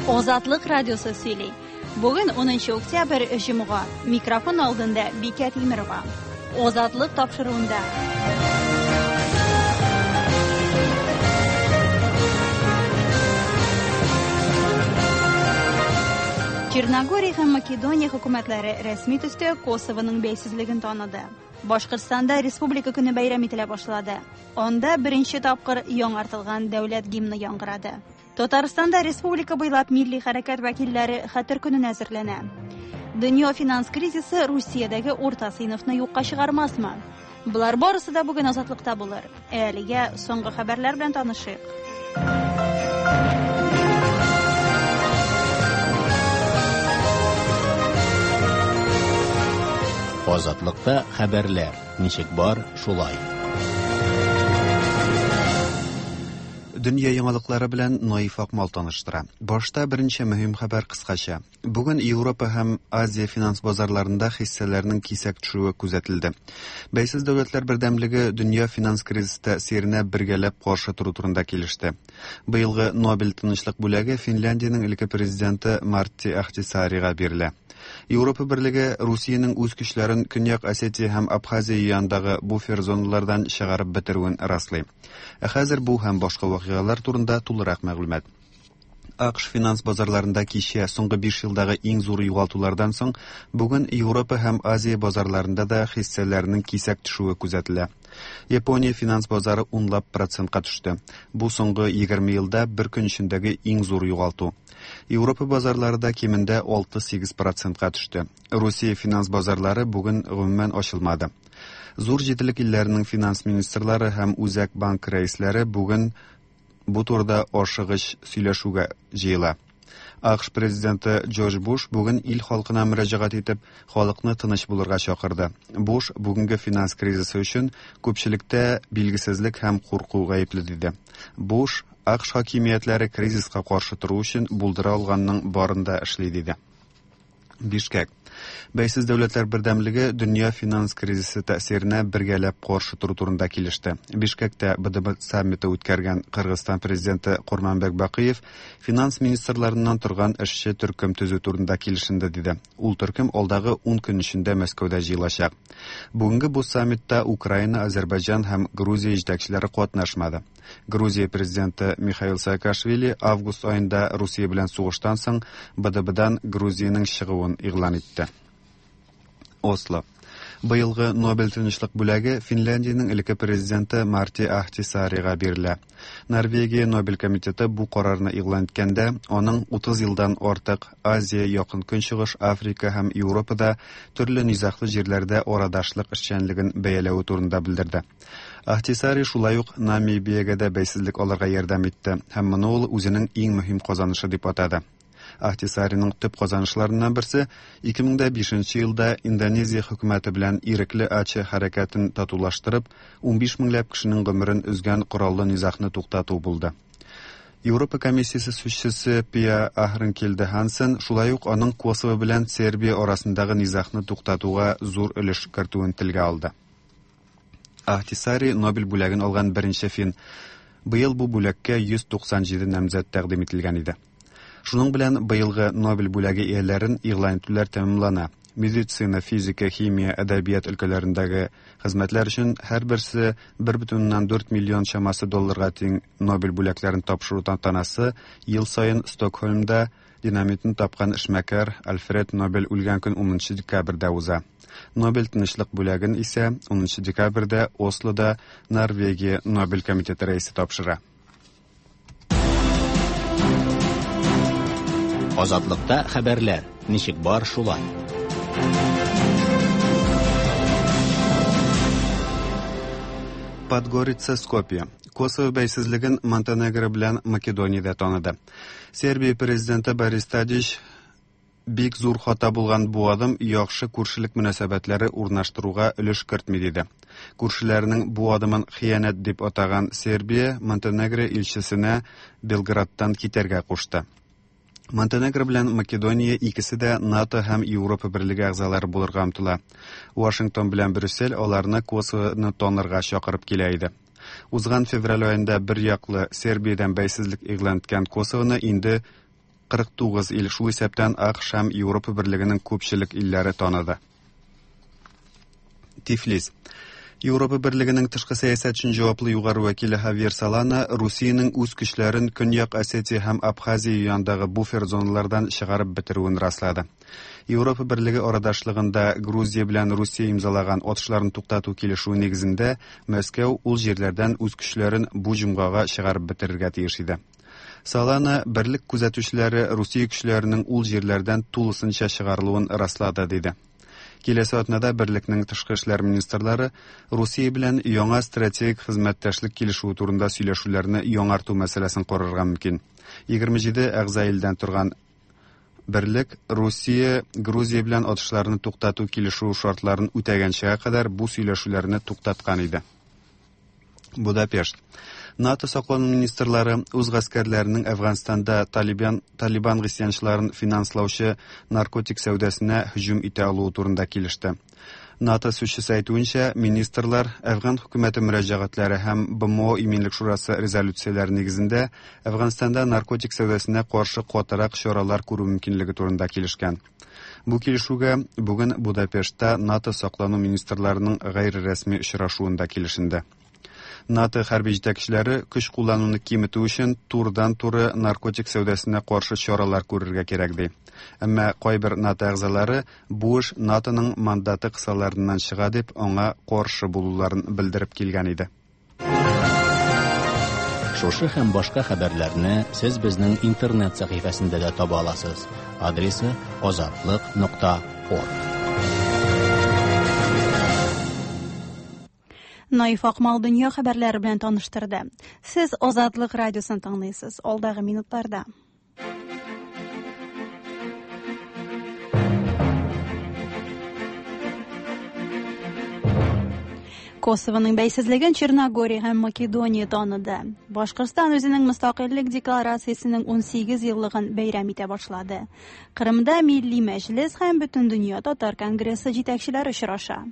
Азатлык радиосы сөйли. Бүген 10 октябрь, җомга. Микрофон алдында Бикә Тимерова. Азатлык тапшыруында. Черногория һәм Македония хөкүмәтләре рәсми төстә Косовоның бәйсезлеген таныды. Башкортстанда Республика көне бәйрәм ителә башлады. Анда беренче тапкыр яңартылган дәүләт гимны яңгырады. Татарстанда республика буйлап милли хәрәкәт вәкилләре Хәтер көненә әзерләнә. Дөнья финанс кризисы Русиядәге урта сыйныфны юкка чыгармасмы? Болар барысы да бүген Азатлыкта булыр. Ә әлегә соңгы хәбәрләр белән танышыйк. Азатлыкта хәбәрләр ничек бар, шулай. Дөнья яңалыклары белән Наиф Акмал таныштыра. Башта берничә мөһим хәбәр кыскача. Бүген Европа һәм Азия финанс базарларында хиссәләрнең кисәк төшүе күзәтелде. Бәйсез дәүләтләр бердәмлеге дөнья финанс кризисы тәэсиренә бергәләп каршы тору турында килеште. Быелгы Нобель тынычлык бүләге Финляндиянең элекке президенты Мартти Ахтисаарига бирелә. Европа Берлеге Русиянең үз көчләрен Көньяк Осетия һәм Абхазия янындагы буфер зоналардан чыгарып бетерүен раслый. Ә хәзер бу һәм башка вакыйгалар турында тулырак мәгълүмат. АКШ финанс базарларында кичә соңгы 5 елдагы иң зур югалтулардан соң бүген Европа һәм Азия базарларында да хиссәләрнең кисәк төшүе күзәтелә. Япония финанс базары унлап процентка төште. Бу соңгы 20 елда бер көн эчендәге иң зур югалту. Европа базарлары да кимендә 6-8 процентка төште. Русия финанс базарлары бүген гомумән ачылмады. Зур җиделек илләренең финанс министрлары һәм Үзәк банк рәисләре бүген бу турыда ашыгыч сөйләшүгә җыела. АКШ президенты Джордж Буш бүген ил халкына мөрәҗәгать итеп, халыкны тыныч булырга чакырды. Буш бүгенге финанс кризисы өчен күпчелектә билгесезлек һәм курку гаепле диде. Буш АКШ хакимиятләре кризиска каршы тору өчен булдыра алганның барын да эшли диде. Бишкәк. Бәйсез дәүләтләр бердәмлеге дөнья финанс кризисы тәэсиренә бергәләп каршы тору турында килеште. Бишкәктә БДБ саммиты үткәргән Кыргызстан президенты Курманбек Бакыев финанс министрларыннан торган эшче төркем төзү турында килешенде диде. Ул төркем алдагы 10 көн эчендә Мәскәүдә җыелачак. Бүгенге бу саммитта Украина, Азербайҗан һәм Грузия җитәкчеләре катнашмады. Грузия президенты Михаил Саакашвили август аенда Русия белән сугыштан соң БДБдан Грузиянең чыгуын игълан итте. Осло. Быелгы Нобель тынычлык бүләге Финляндиянең элекке президенты Марти Ахтисаарига бирелә. Норвегия Нобель комитеты бу карарны игълан иткәндә, аның 30 елдан артык Азия, Якын Көнчыгыш, Африка һәм Европада төрле низаглы җирләрдә арадашлык эшчәнлеген бәяләве турында белдерде. Ахтисаари шулай ук Намибиягә дә бәйсезлек алырга ярдәм итте һәм моны ул үзенең иң мөһим казанышы дип атады. Ахтисаариның төп казанышларыннан берсе 2005 елда Индонезия хөкүмәте белән ирекле Аче хәрәкәтен татулаштырып, 15 меңләп кешенең гомерен өзгән кораллы низагны туктату булды. Европа комиссиясе сүзчесе Пиа Ахренкельде Хансен шулай ук аның Косово белән Сербия арасындагы низагны туктатуга зур өлеш кертүен телгә алды. Ахтисаари Нобель бүләген алган беренче фин. Быел бу бүләккә 197 намзәт тәкъдим ителгән иде. Шуның белән быелгы Нобель бүләге ияләрен игълан итүләр тәмамлана. Медицина, физика, химия, әдәбият өлкәләрендәге хезмәтләр өчен һәрберсе 1,4 миллион чамасы долларга тиң Нобель бүләкләрен тапшыру тантанасы ел саен Стокһольмда динамитны тапкан эшмәкәр Альфред Нобель үлгән көн 10 декабрьдә уза. Нобель тынычлык бүләген исә 10 декабрьдә Ослода Норвегия Нобель комитеты рәисе тапшыра. Азатлыкта хәбәрләр ничек бар шулай. Подгорица, Скопье. Косово бәйсезлеген Монтенегро белән Македония дә таныды. Сербия президенты Борис Тадич бик зур хата булган бу адым яхшы күршелек мөнәсәбәтләре урнаштыруга өлеш кертми диде. Күршеләренең бу адымын хыянәт дип атаган Сербия Монтенегро илчесенә Белградтан китәргә кушты. Монтенегро белән Македония икесе дә НАТО һәм Европа берлеге әгъзалары булырга омтыла. Вашингтон белән Брюссель аларны Косовоны танырга чакырып килә иде. Узган февраль аенда бер яклы Сербиядән бәйсезлек игълан иткән Косовоны инде 49 ил, шул исәптән АКШ һәм Европа Берлегенең күпчелек илләре таныды. Тифлис. Европа Берлегенең тышкы сәясәт өчен җаваплы югары вәкиле Хавьер Солана Русиянең үз көчләрен Көньяк Осетия һәм Абхазия янындагы буфер зоналардан чыгарып бетерүен раслады. Европа Берлеге арадашлыгында Грузия белән Русия имзалаган атышларын туктату килешүе нигезендә Мәскәү ул җирләрдән үз көчләрен бу җомгага чыгарып бетерергә тиеш иде. Солана берлек күзәтүчеләре Русия көчләренең ул җирләрдән тулысынча чыгарылуын раслады, диде. Киләсе атнада берлекнең тышкы эшләр министрлары Русия белән яңа стратегик хезмәттәшлек килешүе турында сөйләшүләрне яңарту мәсьәләсен карарга мөмкин. 27 әгъза илдән торган берлек Русия Грузия белән атышларны туктату килешүе шартларын үтәгәнчегә кадәр бу сөйләшүләрне туктаткан иде. Будапешт. НАТО саклану министрлары үз гаскәрләренең Әфганстанда Талибан Талибан гыйсьянчыларын финанслаучы наркотик сәүдәсенә һөҗүм итә алуы турында килеште. НАТО сүзчесе әйтүенчә, министрлар Әфган хөкүмәте мөрәҗәгатьләре һәм БМО Иминлек шурасы резолюцияләре нигезендә Әфганстанда наркотик сәүдәсенә каршы катырак чаралар күрү мөмкинлеге турында килешкән. Бу килешүгә бүген Будапештта НАТО саклану министрларының гайре рәсми очрашуында килешенде. НАТО хәрби җитәкчеләре көч куллануны киметү өчен турыдан-туры наркотик сәүдәсенә каршы чаралар күрергә кирәк ди. Әмма кайбер НАТО әгъзалары бу эш НАТОның мандаты кысаларыннан чыга дип аңа каршы булуларын белдереп килгән иде. Шушы һәм башка хәбәрләрне сез безнең интернет сәхифәсендә дә таба аласыз. Адресы azatliq.org. Наиф Акмал дөнья хәбәрләре белән таныштырды. Сез Азатлык радиосын тыңлыйсыз. Алдагы минутларда. Косованың бәйсезлеген Черногория һәм Македония таныды. Башкортстан үзенең мөстәкыйльлек декларациясенең 18 еллыгын бәйрәм итә башлады. Кырымда Милли Мәҗлес һәм Бөтендөнья татар конгрессы җитәкчеләре очраша.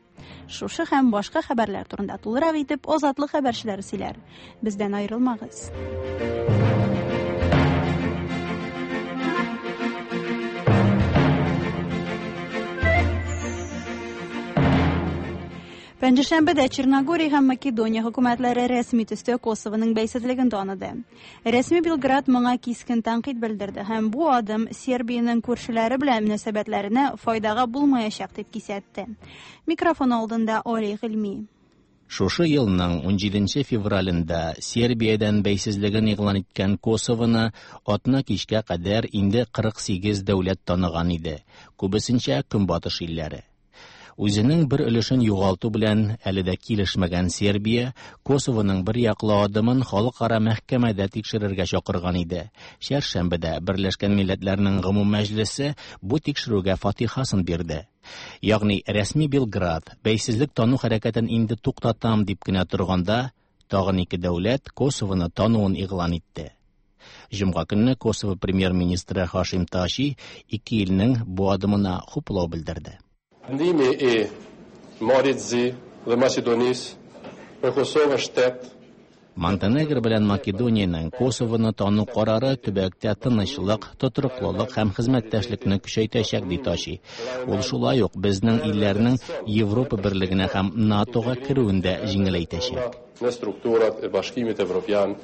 Шушы һәм башка хәбәрләр турында тулырак итеп Азатлык хәбәрчеләре сөйләр. Бездән аерылмагыз. Пәнҗешәмбедә Черногория һәм Македония хөкүмәтләре рәсми төстә Косованың бәйсезлеген таныды. Рәсми Белград моңа кискен тәнкыйть белдерде һәм бу адым Сербиянең күршеләре белән мөнәсәбәтләренә файдага булмаячак дип кисәтте. Микрофон алдында Олег Гыйльми. Шушы елның 17 февралендә Сербиядән бәйсезлеген игълан иткән Косованы атна кичкә кадәр инде 48 дәүләт таныган иде, күбесенчә Көнбатыш илләре. Үзенең бер өлешен югалту белән әле дә килешмәгән Сербия Косованың бер яклы адымын халыкара мәхкәмәдә тикшерергә чакырган иде. Чәршәмбедә Берләшкән Милләтләрнең Гомум Мәҗлесе бу тикшерүгә фатихасын бирде. Ягъни рәсми Белград бәйсезлек тану хәрәкәтен инде туктатам дип кенә торганда, тагын ике дәүләт Косованы тануын игълан итте. Җомга көнне Косово премьер-министры Хашим Таши ике илнең бу адымына хуплау белдерде. Vendimi i Malit Zi dhe Maqedonisë për Kosovën shtet Монтенегро белән Македониянең Косовоны тану карары төбәктә тынычлык, тотрыклылык һәм хезмәттәшлекне көчәйтәчәк, ди Таши. Ул шулай ук безнең илләрнең Европа берлегенә һәм НАТОга керүен дә җиңеләйтәчәк. Në strukturat e Bashkimit Evropian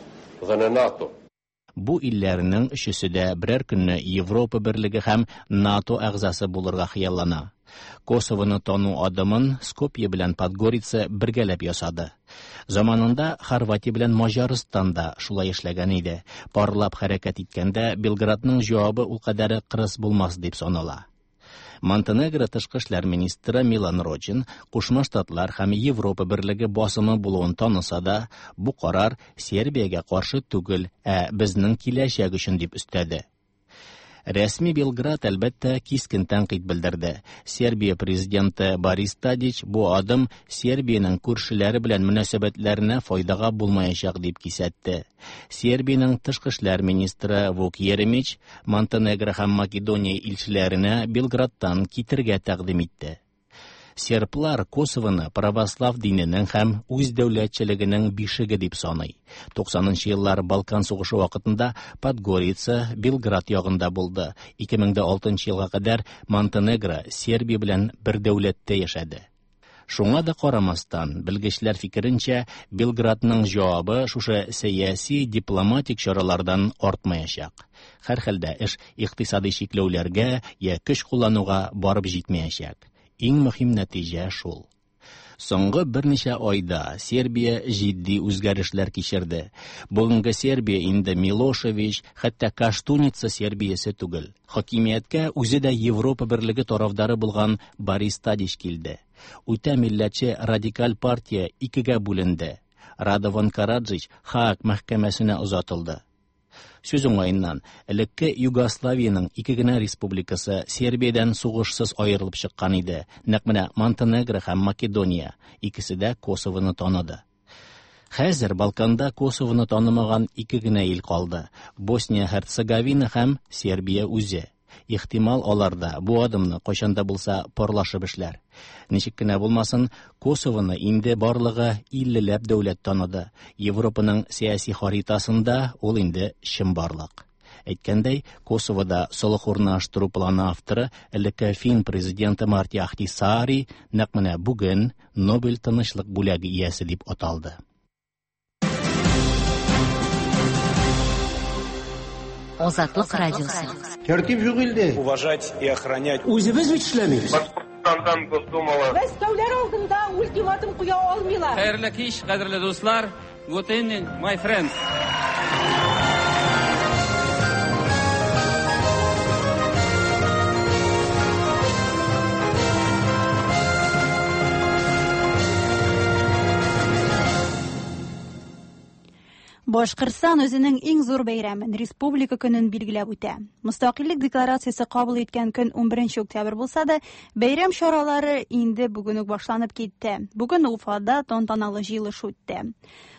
dhe në NATO. Бу илләрнең өчесе дә берәр көнне Европа берлеге һәм НАТО әгъзасы булырга хыяллана. Косовоны тану адымын Скопье белән Подгорица бергәләп ясады. Заманында Хорватия белән Маҗарстан да шулай эшләгән иде. Парлап хәрәкәт иткәндә Белградның җавабы ул кадәр кырыс булмас дип санала. Монтенегро тышкы эшләр министры Милан Рочин Кушма Штатлар һәм Европа берлеге басымы булуын таныса да, бу карар Сербиягә каршы түгел, ә безнең киләчәк өчен дип өстәде. Рәсми Белград әлбәттә кискен тәнкыйть белдерде. Сербия президенты Борис Тадич бу адым Сербиянең күршеләре белән мөнәсәбәтләренә файдага булмаячак дип кисәтте. Сербиянең тышкы эшләр министры Вук Еремич Монтенегро һәм Македония илчеләренә Белградтан китергә тәкъдим итте. Серблар Косовоны православ диненең һәм үз дәүләтчелегенең бишеге дип саный. 90 еллар Балкан сугышы вакытында Подгорица Белград ягында булды. 2006 елга кадәр Монтенегро Сербия белән бер дәүләттә яшәде. Шуңа да карамастан, белгечләр фикеренчә, Белградның җавабы шушы сәяси дипломатик чаралардан артмаячак. Һәрхәлдә эш икътисади чикләүләргә я көч куллануга барып җитмәячәк. Иң мөһим нәтиҗә шул. Соңгы берничә айда Сербия җитди үзгәрешләр кичерде. Бүгенге Сербия инде Милошевич, хәтта Каштуница Сербиясе түгел. Хакимияткә үзе дә Европа берлеге тарафдары булган Борис Тадич килде. Үтә милләтче радикаль партия икегә бүленде. Радован Караджич Хаак мәхкәмәсенә озатылды. Сүз уңаеннан, элекке Югославиянең ике генә республикасы Сербиядән сугышсыз аерылып чыккан иде. Нәкъ менә Монтенегро һәм Македония икесе дә Косовоны таныды. Хәзер Балканда Косовоны танымаган ике генә ил калды: Босния-Һерцеговина һәм Сербия үзе. Ихтимал, алар да бу адымны кайчан да булса парлашып эшләр. Ничек кенә булмасын, Косовоны инде барлыгы 50ләп дәүләт таныды. Европаның сәяси харитасында ул инде чынбарлык. Әйткәндәй, Косовода солых урнаштыру планы авторы элекке фин президенты Марти Ахтисаари нәкъ менә бүген Нобель тынычлык бүләге иясе дип аталды. Азатлык радиосы. Тәртип юк илдә. Уважать и охранять. Үзебез бит эшләмибез. Башкортстандан Госдумала. Мәскәүләр алдында ультиматум куя алмыйлар. Хәерле кич, кадерле дуслар. Good evening, my friends. Башкортстан үзенең иң зур бәйрәмен Республика көнен билгеләп үтә. Мөстәкыйльлек декларациясе кабул иткән көн 11 октябрь булса да, бәйрәм чаралары инде бүген үк башланып китте. Бүген Уфада тантаналы җыелыш үтте.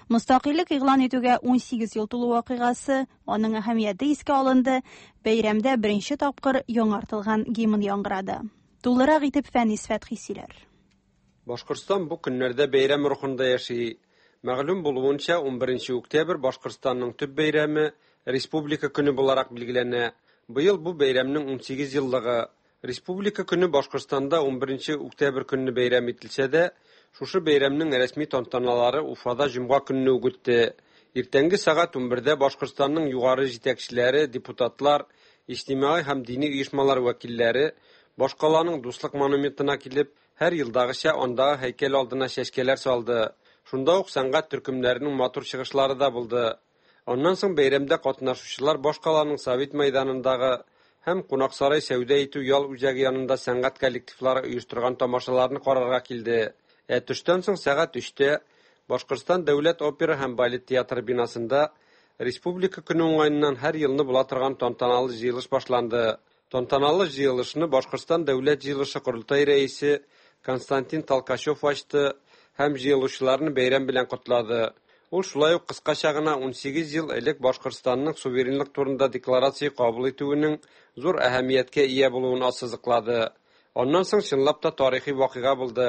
Мөстәкыйльлек игълан итүгә 18 ел тулу вакыйгасы, аның әһәмияте искә алынды. Бәйрәмдә беренче тапкыр яңартылган гимн яңгырады. Тулырак итеп Фәнис Фәтхи сөйләр. Башкортстан бу көннәрдә бәйрәм рухында яши. Мәгълүм булуынча, 11 октябрь Башкортстанның төп бәйрәме Республика көне буларак билгеләнә. Быел бу бәйрәмнең 18 еллыгы. Республика көне Башкортстанда 11 октябрь көнне бәйрәм ителсә дә, шушы бәйрәмнең рәсми тантаналары Уфада җомга көнне үк үтте. Иртәнге сәгать 11-дә Башкортстанның югары җитәкчеләре, депутатлар, иҗтимагый һәм дини оешмалар вәкилләре башкаланың Дуслык монументына килеп, һәр елдагыча андагы һәйкәл алдына чәчкәләр салды. Шунда ук сәнгать төркемнәренең матур чыгышлары да булды. Аннан соң бәйрәмдә катнашучылар башкаланың Совет мәйданындагы һәм Кунаксарай сәүдә итү ял үзәге янында сәнгать коллективлары оештырган тамашаларны карарга килде. Ә төштән соң сәгать 3-тә Башкортстан дәүләт опера һәм балет театры бинасында Республика көне уңаеннан һәр елны була торган тантаналы җыелыш башланды. Тантаналы җыелышны Башкортстан дәүләт җыелышы корылтай рәисе Константин Толкачев ачты һәм җыелучыларны бәйрәм белән котлады. Ул шулай ук кыскача гына 18 ел элек Башкортстанның суверенлык турында декларация кабул итүенең зур әһәмияткә ия булуын ассызыклады. Аннан соң чынлап та тарихи вакыйга булды.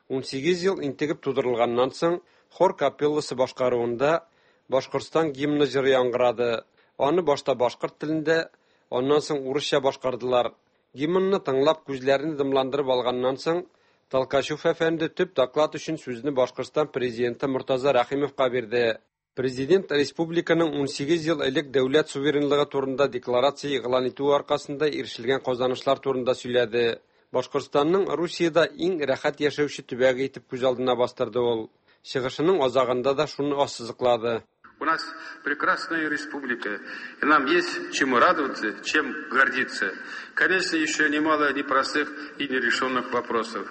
18 ел интегеп тудырылганнан соң хор капелласы башкаруында Башкортстан гимны җыры яңгырады. Аны башта башкорт телендә, аннан соң урысча башкардылар. Гимнны тыңлап күзләрен дымландырып алганнан соң Толкачев әфәнде төп доклад өчен сүзне Башкортстан президенты Мортаза Рәхимовка бирде. Президент республиканың 18 ел элек дәүләт суверенлыгы турында декларация игълан итүе аркасында ирешелгән казанышлар турында сөйләде. Башкортстанның Русиядә иң рәхәт яшәүче төбәге итеп күз алдына бастырды ул. Чыгышының азагында да шуны ассызыклады. У нас прекрасная республика, и нам есть чему радоваться, чем гордиться. Конечно, еще немало непростых и нерешенных вопросов.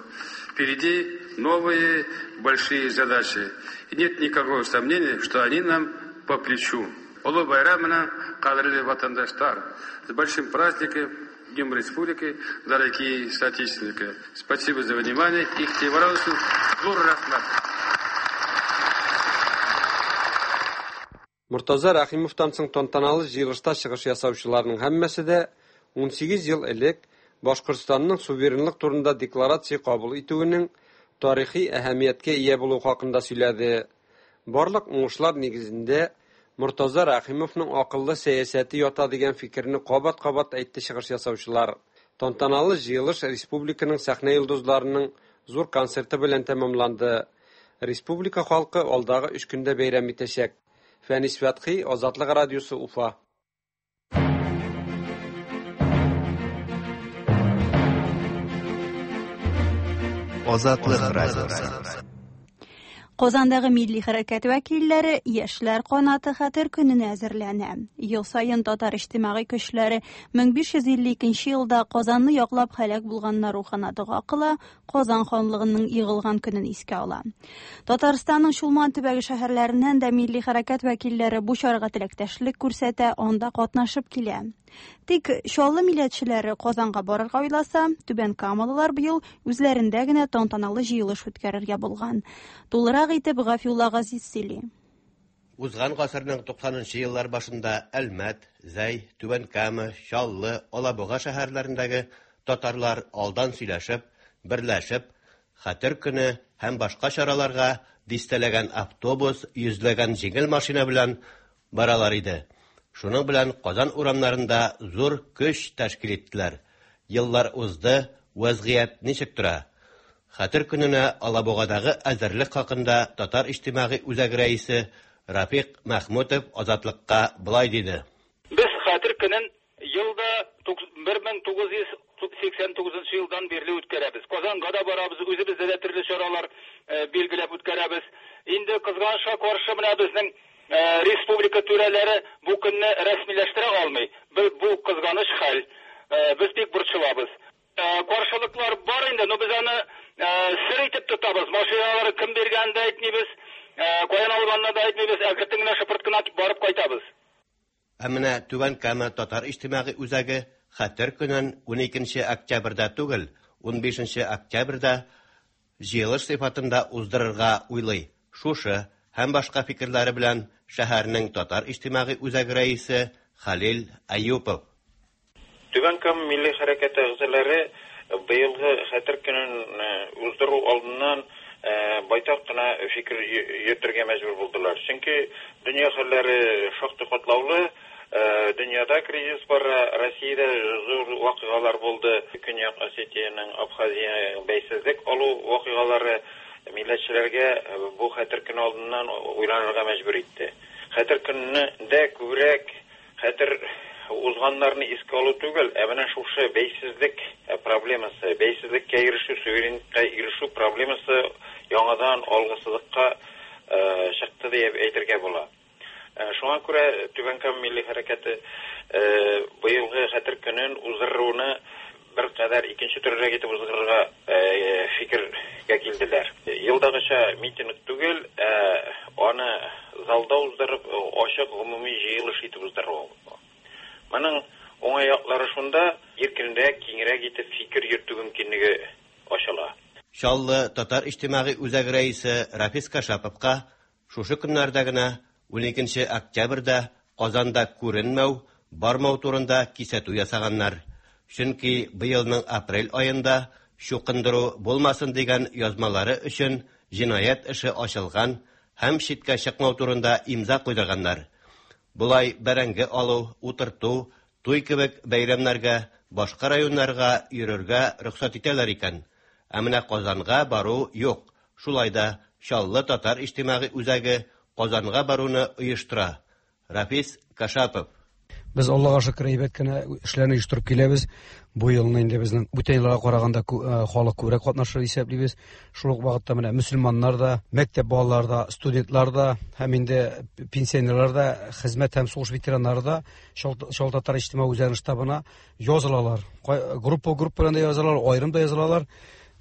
Впереди новые большие задачи. И нет никакого сомнения, что они нам по плечу. Олы байрамына, кадерле ватандаштар, с большим праздником, Днем Республики, дорогие соотечественники. Спасибо за внимание. Игътибар өчен зур рәхмәт. Мортаза Рәхимовтан соң тантаналы җыелышта чыгыш ясаучыларның һәммәсе дә 18 ел элек Башкортстанның суверенлык турында декларация кабул итүенең тарихи әһәмияткә ия булуы хакында сөйләде. Барлык уңышлар нигезендә Мортаза Рәхимовның акыллы сәясәте ята дигән фикерне кабат-кабат әйтте чыгыш ясаучылар. Тантаналы җыелыш республиканың сәхнә йолдызларының зур концерты белән тәмамланды. Республика халкы алдагы өч көндә бәйрәм итәчәк. Фәнис Фәтхи, Азатлык радиосы, Уфа. Азатлык радиосы. Казандагы милли хәрәкәт вәкилләре Яшьләр канаты хәтер көненә әзерләнә. Ел саен татар иҗтимагый көчләре 1552 елда Казанны яклап һәлак булганнар рухына дога кыла, Казан ханлыгының егылган көнен искә ала. Татарстанның Чулман төбәге шәһәрләреннән дә милли хәрәкәт вәкилләре бу чарага теләктәшлек күрсәтә, анда катнашып килә. Тик Чаллы милләтчеләре Казанга барырга уйласа, Түбән Камалылар быел үзләрендә генә тантаналы җыелыш үткәрергә булган. Тулырак итеп Гафиулла Газиз сөйли. Узган гасырның 90 нчы еллар башында Әлмәт, Зәй, Түбән Кама, Чаллы, Алабуга шәһәрләрендәге татарлар алдан сөйләшеп, берләшеп, Хәтер көне һәм башка чараларга дистәләгән автобус, йөзләгән җиңел машина белән баралар иде. Шуның белән Казан урамнарында зур көч тәшкил иттеләр. Еллар узды, вәзгыять ничек тора? Хәтер көненә Алабугадагы әзерлек хакында Татар иҗтимагый үзәге рәисе Рафик Мәхмүтов Азатлыкка болай диде. Без Хәтер көнен ел да 1989 елдан бирле үткәрәбез. Казанга да барабыз, үзебездә дә төрле чаралар билгеләп үткәрәбез. Инде кызганычка каршы менә безнең республика түрәләре бу көнне рәсмиләштерә алмый. Бу кызганыч хәл. Без бик борчылабыз. Каршылыклар бар инде, но без аны сер итеп тотабыз. Машиналар кем биргәнен дә әйтмибез, каян алганны да әйтмибез, әкрен генә шыпырт кына барып кайтабыз. Ә менә Түбән Кама татар иҗтимагый үзәге Хәтер көнен 12 октябрьдә түгел, 15 октябрьдә җыелыш сыйфатында уздырырга уйлый. Шушы һәм башка фикерләре белән шәһәрнең татар иҗтимагый үзәге рәисе Хәлил Әюпов. Түбән Кама милли хәрәкәте әгъзалары быелгы Хәтер көнен уздыру алдыннан байтак кына фикер йөртергә мәҗбүр булдылар. Чөнки дөнья хәлләре шактый катлаулы, дөньяда кризис бара, Россиядә зур вакыйгалар булды, Көньяк Осетиянең, Абхазиянең бәйсезлек алу вакыйгалары милләтчеләргә бу Хәтер көне алдыннан уйланырга мәҗбүр итте. Хәтер көнендә күбрәк Хәтер узганнарны искә алу түгел, ә менә шушы бәйсезлек проблемасы, бәйсезлеккә ирешү, суверенлыкка ирешү проблемасы яңадан алгы сызыкка чыкты диеп әйтергә була. Шуңа күрә Түбән Кама милли хәрәкәте быелгы Хәтер көнен уздыруны беркадәр икенче төрлерәк итеп уздырырга фикергә килделәр. Елдагыча митинг түгел, ә аны залда уздырып, ачык гомуми җыелыш итеп уздыру. Моның уңай яклары шунда, иркенрәк, киңрәк итеп фикер йөртү мөмкинлеге ачыла. Чаллы татар иҗтимагый үзәге рәисе Рафис Кашаповка шушы көннәрдә генә, уникенче октябрьдә Казанда күренмәү, бармау турында кисәтү ясаганнар. Чөнки быелның апрель аенда чукындыру булмасын дигән язмалары өчен җинаять эше ачылган һәм читкә чыкмау турында имза куйдырганнар. Болай бәрәңге алу, утырту, туй кебек бәйрәмнәргә башка районнарга йөрергә рөхсәт итәләр икән. Ә менә Казанга бару юк. Шулай да Чаллы татар иҗтимагый үзәге Казанга баруны оештыра. Рафис Кашапов. Без Аллага шөкер әйбәт кенә эшләрне оештырып киләбез. Бу елны инде безнең бүтән елларга караганда халык күбрәк катнашыр исәплибез. Шул ук вакытта менә мөселманнар да, мәктәп балалары да, студентлар да һәм инде пенсионерлар да, хезмәт һәм сугыш ветераннары да Чаллы татар иҗтимагый үзәгенең штабына язылалар. Группа группа белән дә язылалар, аерым да язылалар.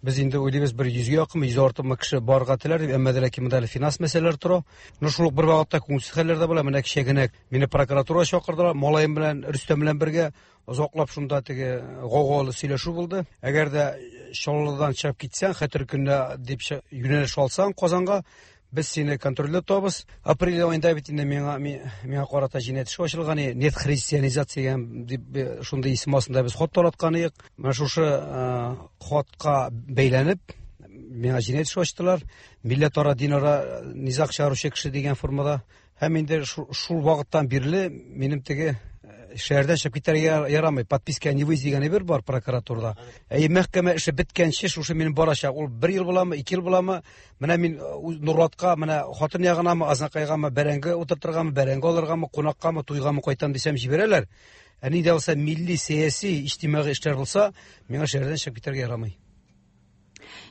Без инде уйлыйбыз, бер йөзгә якынмы, йөз артыкмы кеше барырга теләр дип, әмма дә ләкин монда әле финанс мәсьәләләре тора. Но шул ук бер вакытта күңелсез хәлләр дә була. Менә кичә генә мине прокуратурага чакырдылар, малаем белән, Рөстәм белән бергә озаклап шунда теге гаугалы сөйләшү булды. Әгәр дә Чаллыдан чыгып китсәң, Хәтер көненә дип юнәлеш алсаң Казанга, Без сине контрольдә тотабыз. Апрель аенда бит инде миңа миңа карата җинаять эше ачылган иде. Нет христианизация дип шундый исем астында без хат тараткан идек. Менә шушы хатка бәйләнеп миңа җинаять эше ачтылар. Милләтара, динара низаг чыгаручы кеше дигән формада. Һәм инде шул вакыттан бирле минем теге шәһәрдән чыгып китәргә ярамый. Подписка не выезд дигән әйбер бар прокуратурада. Әй, мәхкәмә эше беткәнче шушы минем барачак. Ул бер ел буламы, ике ел буламы? Менә мин Нурлатка, менә хатын ягынамы, Азнакайгамы, бәрәңге утыртыргамы, бәрәңге алыргамы, кунаккамы, туйгамы кайтам дисәм җибәрәләр. Ә ни дә булса милли, сәяси, иҗтимагый эшләр булса, миңа шәһәрдән чыгып китәргә ярамый.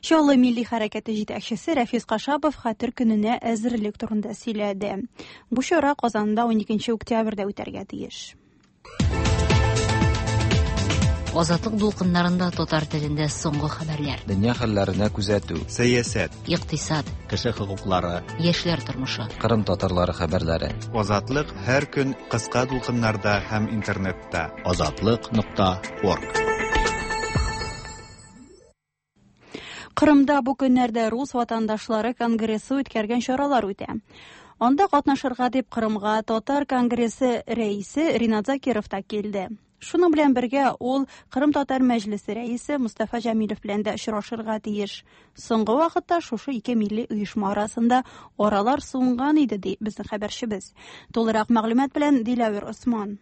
Чаллы милли хәрәкәте җитәкчесе Рәфис Кашапов Хәтер көненә әзерлек турында сөйләде. Бу чара Казанда 12 октябрьдә үтәргә тиеш. Азатлык дулкыннарында татар телендә соңгы хәбәрләр. Дөнья хәлләренә күзәтү. Сәясәт. Икътисад. Кеше хокуклары. Яшьләр тормышы. Кырым татарлары хәбәрләре. Азатлык һәр көн кыска дулкыннарда һәм интернетта. Азатлык.орг. Кырымда бу көннәрдә Рус ватандашлары конгрессы үткәргән чаралар үтә. Анда катнашырга дип Кырымга Татар конгрессы рәисе Ринат Закиров та килде. Шуның белән бергә ул Кырым татар мәҗлесе рәисе Мустафа Җәмилев белән дә очрашырга тиеш. Соңгы вакытта шушы ике милли оешма арасында аралар суынган иде, ди безнең хәбәрчебез. Тулырак мәгълүмат белән Диләвер Осман.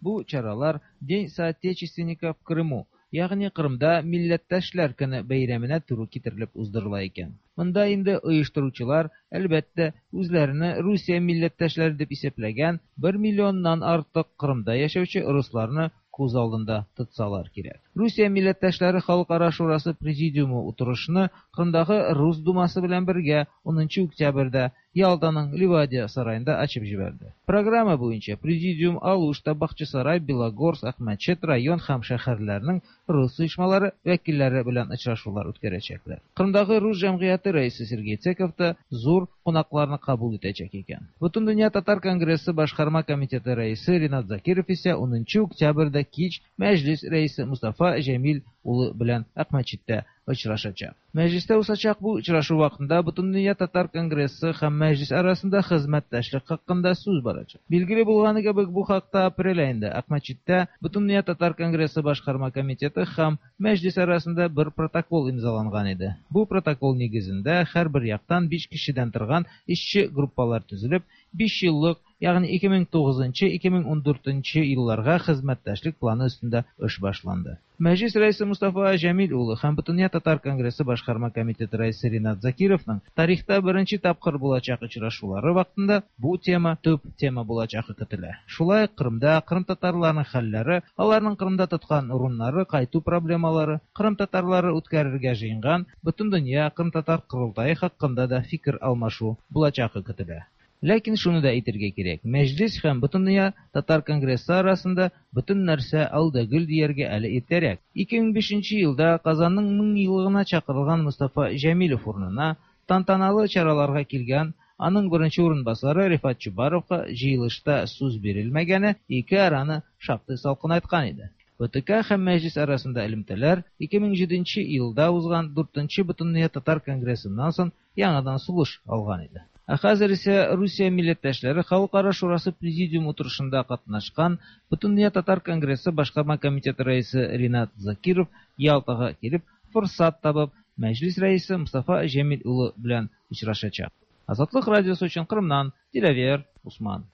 Бу чаралар День соотечественника в Крыму, ягъни Кырымда Милләттәшләр көне бәйрәменә туры китерелеп уздырыла икән. Монда инде оештыручылар, әлбәттә, үзләренә Русия милләттәшләре дип исәпләгән бер миллионнан артык Кырымда яшәүче русларны күз алдында тотсалар кирәк. Русия милләттәшләре халыкара шурасы президиумы утырышны Кырымдагы Рус думасы белән бергә 10 октябрьдә Ялтаның Ливадия сараенда ачып җибәрде. Программа буенча президиум Алушта, Бахчисарай, Белогорск, Акмәчет район һәм шәһәрләрнең рус оешмалары вәкилләре белән очрашулар үткәрәчәкләр. Кырымдагы рус җәмгыяте рәисе Сергей Цеков та зур кунакларны кабул итәчәк икән. Бөтендөнья татар конгрессы башкарма комитеты рәисе Ринат Закиров исә 10 октябрьдә кич Мәҗлис рәисе Мустафа Җәмил улы белән Акмәчеттә очрашачак. Мәҗлестә узачак бу очрашу вакытында Бөтендөнья татар конгрессы һәм Мәҗлис арасында хезмәттәшлек хакында сүз барачак. Билгеле булганы кебек, бу хакта апрель аенда Акмәчеттә Бөтендөнья татар конгрессы башкарма комитеты һәм Мәҗлис арасында бер протокол имзаланган иде. Бу протокол нигезендә һәрбер яктан биш кешедән торган эшче группалар төзелеп, биш еллык, ягъни 2009-2014 елларга хезмәттәшлек планы өстендә эш башланды. Мәҗлис рәисе Мустафа Җәмил улы һәм Бөтендөнья татар конгрессы башкарма комитеты рәисе Ринат Закировның тарихта беренче тапкыр булачак очрашулары вакытында бу тема төп тема булачагы көтелә. Шулай ук Кырымда кырымтатарларның хәлләре, аларның Кырымда тоткан урыннары, кайту проблемалары, кырым татарлары үткәрергә җыенган Бөтендөнья кырымтатар корылтае хакында да фикер алмашу булачагы көтелә. Ләкин шуны да әйтергә кирәк, Мәҗлис һәм Бөтендөнья татар конгрессы арасында бөтен нәрсә ал да гөл дияргә әле иртәрәк. 2005 нче елда Казанның меңъеллыгына чакырылган Мостафа Җәмилев урынына тантаналы чараларга килгән аның беренче урынбасары Рифат Чубаровка җыелышта сүз бирелмәгәне ике араны шактый салкынайткан иде. БТК һәм Мәҗлис арасында элемтәләр 2007 нче елда узган дүртенче Бөтендөнья татар конгрессыннан соң яңадан сулыш алган иде. Ә хәзер исә Русия милләттәшләре Халыкара шурасы президиум утырышында катнашкан Бөтендөнья татар конгрессы башкарма комитеты рәисе Ринат Закиров Ялтага килеп, форсат табып, Мәҗлис рәисе Мостафа Җәмил улы белән очрашачак. Азатлык радиосы өчен Кырымнан Диләвер Усман.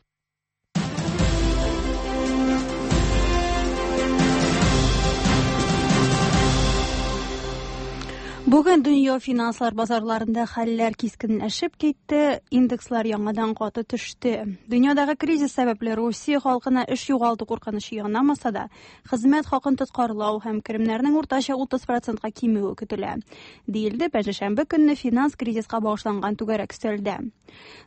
Бүген дөнья финанслар базарларында хәлләр кискенләшеп китте, индекслар яңадан каты төште. Дөньядагы кризис сәбәпле Русия халкына эш югалту куркынычы янамаса да, хезмәт хакын тоткарлау һәм керемнәрнең уртача 30 процентка кимүе көтелә, диелде пәнҗешәмбе көнне финанс кризиска багышланган түгәрәк өстәлдә.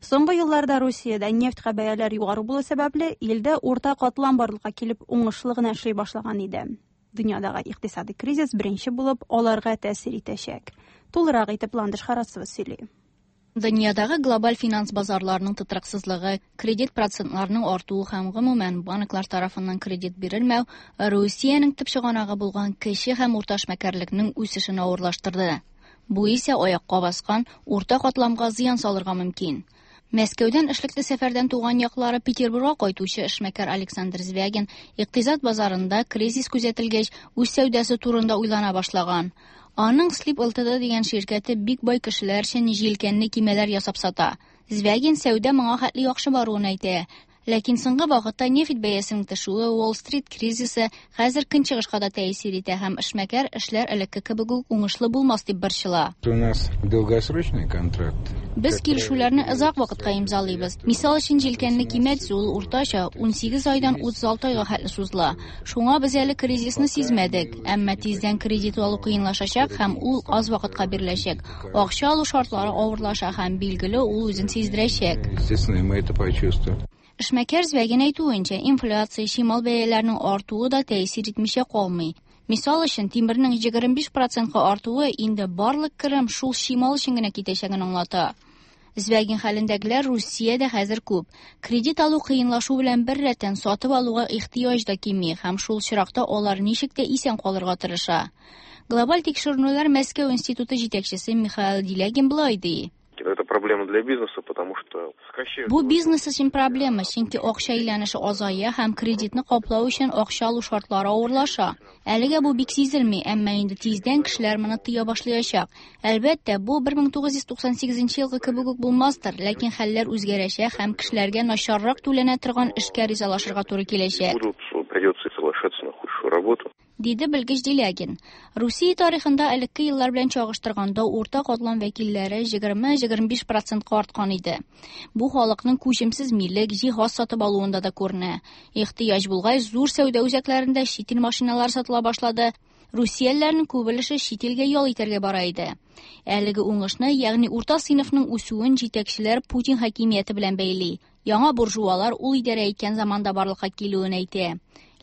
Соңгы елларда Русиядә нефтькә бәяләр югары булу сәбәпле, илдә урта катлам барлыкка килеп, уңышлы гына эшли башлаган иде. Дөньядагы икътисадый кризис беренче булып аларга тәэсир итәчәк. Тулырак итеп Ландыш Харасова сөйли. Дөньядагы глобаль финанс базарларының тотрыксызлыгы, кредит процентларының артуы һәм гомумән банклар тарафыннан кредит бирелмәү Русиянең төп чыганагы булган кече һәм урта эшмәкәрлекнең үсешен авырлаштырды. Бу исә аякка баскан урта катламга зыян салырга мөмкин. Мәскәүдән эшлекле сәфәрдән туган яклары Петербургка кайтучы эшмәкәр Александр Звягин икътисад базарында кризис күзәтелгәч, үз сәүдәсе турында уйлана башлаган. Аның Слип Ltd дигән ширкәте бик бай кешеләр өчен җилкәнле кимәләр ясап сата. Звягин сәүдә моңа хәтле яхшы баруын әйтә. Ләкин соңгы вакытта нефть бәясенең төшүе, Уолл-стрит кризисы хәзер көнчыгышка да тәэсир итә һәм эшмәкәр эшләр элекке кебек үк уңышлы булмас дип борчыла. У нас долгосрочный контракт. Без килешүләрне озак вакытка имзалыйбыз. Мисал өчен, җилкәнле кимә төзү ул уртача 18 айдан 36 айга хәтле сузыла. Шуңа без әле кризисны сизмәдек. Әмма тиздән кредит алу кыенлашачак һәм ул аз вакытка биреләчәк. Акча алу шартлары авырлаша һәм, билгеле, ул үзен сиздерәчәк. Естественно, мы это почувствуем. Эшмәкәр Звягин әйтүенчә, инфляция, чимал бәяләренең артуы да тәэсир итмичә калмый. Мисал өчен, тимернең 25 процентка артуы инде барлык керем шул чимал өчен генә китәчәген аңлата. Звягин хәлендәгеләр Русиядә хәзер күп. Кредит алу кыенлашу белән беррәттән сатып алуга ихтыяҗ да кими һәм шул очракта алар ничек тә исән калырга тырыша. Глобаль тикшеренүләр Мәскәү институты җитәкчесе Михаил Делягин болай ди. Это проблема для бизнеса, потому что сокращают... Бу бизнес өчен проблема, чөнки акча әйләнеше азая һәм кредитны каплау өчен акча алу шартлары авырлаша. Әлегә бу бик сизелми, әмма инде тиздән кешеләр моны тоя башлаячак. Әлбәттә, бу 1998 елгы кебек үк булмастыр, ләкин хәлләр үзгәрәчәк һәм кешеләргә начаррак түләнә торган эшкә ризалашырга туры киләчәк. Будут, придется соглашаться на худшую работу. Диде белгеч Делягин. Русия тарихында элекке еллар белән чагыштырганда урта катлам вәкилләре 20-25 процентка арткан иде. Бу халыкның күчемсез милек, җиһаз сатып алуында да күренә. Ихтыяҗ булгач, зур сәүдә үзәкләрендә чит ил машиналары сатыла башлады. Русиялеләрнең күп өлеше чит илгә ял итәргә бара иде. Әлеге уңышны, ягъни урта сыйныфның үсүен җитәкчеләр Путин хакимияте белән бәйли. Яңа буржуалар ул идарә иткән заманда барлыкка килүен әйтә.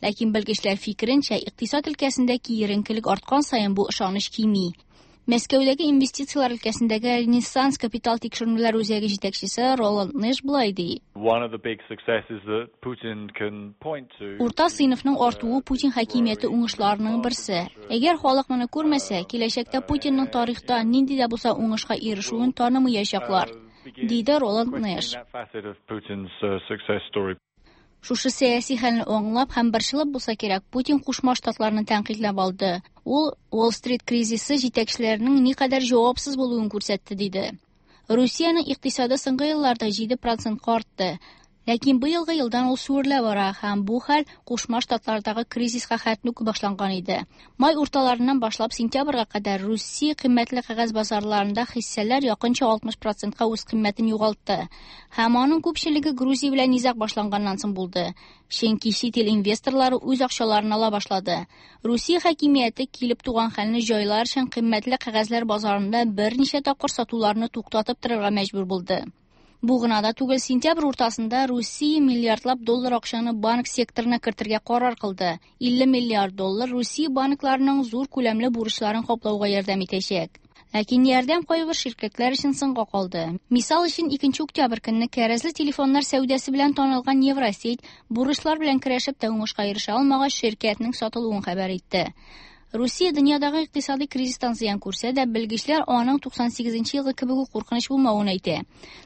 Ләкин белгечләр фикеренчә, икътисад өлкәсендә киеренкелек арткан саен бу ышаныч кими. Мәскәүдәге инвестицияләр өлкәсендәге Ренессанс капитал тикшеренүләр үзәге җитәкчесе Роланд Нэш болай ди. Урта сыйныфның артуы Путин хакимияте уңышларының берсе. Әгәр халык моны күрмәсә, киләчәктә Путинның тарихта нинди дә булса уңышка ирешүен танымаячаклар, диде Роланд Нэш. Шушы сәяси хәлне аңлап һәм борчылып булса кирәк, Путин Кушма Штатларны тәнкыйтьләп алды. Ул Уолл-стрит кризисы җитәкчеләренең никадәр җавапсыз булуын күрсәтте, диде. Русиянең икътисады соңгы елларда 7 процентка артты. Ләкин быелгы елдан ул сүрелә бара һәм бу хәл Кушма Штатлардагы кризиска хәтле үк башланган иде. Май урталарыннан башлап сентябрьгә кадәр Русия кыйммәтле кәгазь базарларында хиссәләр якынча 60 процентка үз кыйммәтен югалтты. Һәм аның күпчелеге Грузия белән низаг башланганнан соң булды. Чөнки чит ил инвесторлары үз акчаларын ала башлады. Русия хакимияте килеп туган хәлне җайлар өчен кыйммәтле кәгазьләр базарында берничә тапкыр сатуларны туктатып торырга мәҗбүр булды. Бу гына да түгел, сентябрь уртасында Русия миллиардлап доллар акчаны банк секторына кертергә карар кылды. 50 миллиард доллар Русия банкларының зур күләмле бурычларын каплауга ярдәм итәчәк. Ләкин ярдәм кайбер ширкәтләр өчен соңга калды. Мисал өчен, 2 октябрь көнне кәрәзле телефоннар сәүдәсе белән танылган Евросеть бурычлар белән көрәшеп тә уңышка ирешә алмагач, ширкәтнең сатылуын хәбәр итте. Русия дөньядагы икътисади кризистан зыян күрсә дә, белгечләр аның 98 елгы кебек үк куркыныч булмавын әйтә.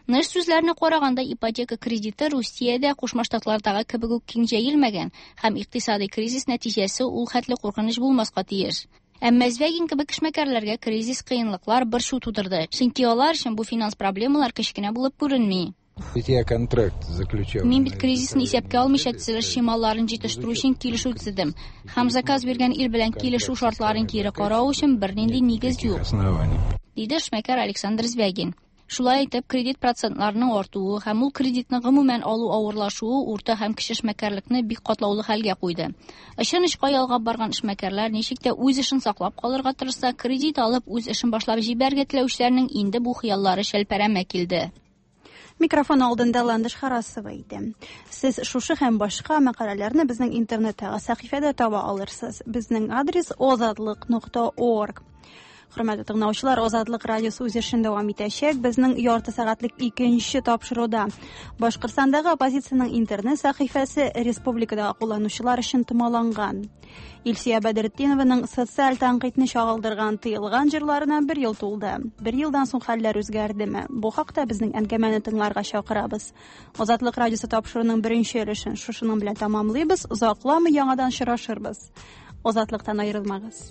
Нэш сүзләренә караганда, ипотека кредиты Русиядә Кушма Штатлардагы кебек үк киң җәелмәгән һәм икътисади кризис нәтиҗәсе ул хәтле куркыныч булмаска тиеш. Әмма Звягин кебек эшмәкәрләргә кризис кыенлыклар борчу тудырды, чөнки алар өчен бу финанс проблемалар кечкенә булып күренми. Ведь я контракт заключал. Мин бит кризисны исәпкә алмыйча төзелеш чималларын җитештерү өчен килешү төзедем. Һәм заказ биргән ил белән килешү шартларын кире карау өчен бернинди нигез юк, диде эшмәкәр Александр Звягин. Шулай итеп, кредит процентларының артуы һәм ул кредитны гомумән алу авырлашуы урта һәм кече эшмәкәрлекне бик катлаулы хәлгә куйды. Очын очка ялгап барган эшмәкәрләр ничек тә үз эшен саклап калырга тырышса, кредит алып үз эшен башлап җибәрергә теләүчеләрнең инде бу хыяллары шәлпәрәмә килде. Микрофон алдында Ландыш Харасова иде. Сез шушы һәм башка мәкаләләрне безнең интернеттагы сәхифәдә таба алырсыз. Безнең адрес ozodliq.org. Хөрмәтле тыңлаучылар, Азатлык радиосы үз эшен дәвам итәчәк. Безнең ярты сәгатьлек икенче тапшыруда Башкортстандагы оппозициянең интернет сәхифәсе республикадагы кулланучылар өчен томаланган. Илсөя Бәдретдинованың социаль тәнкыйтьне чагылдырган тыелган җырларына бер ел тулды. Бер елдан соң хәлләр үзгәрдеме? Бу хакта безнең әңгәмәне тыңларга чакырабыз. Азатлык радиосы тапшыруының беренче өлешен шушының белән тәмамлыйбыз. Озакламый яңадан очрашырбыз. Азатлыктан аерылмагыз.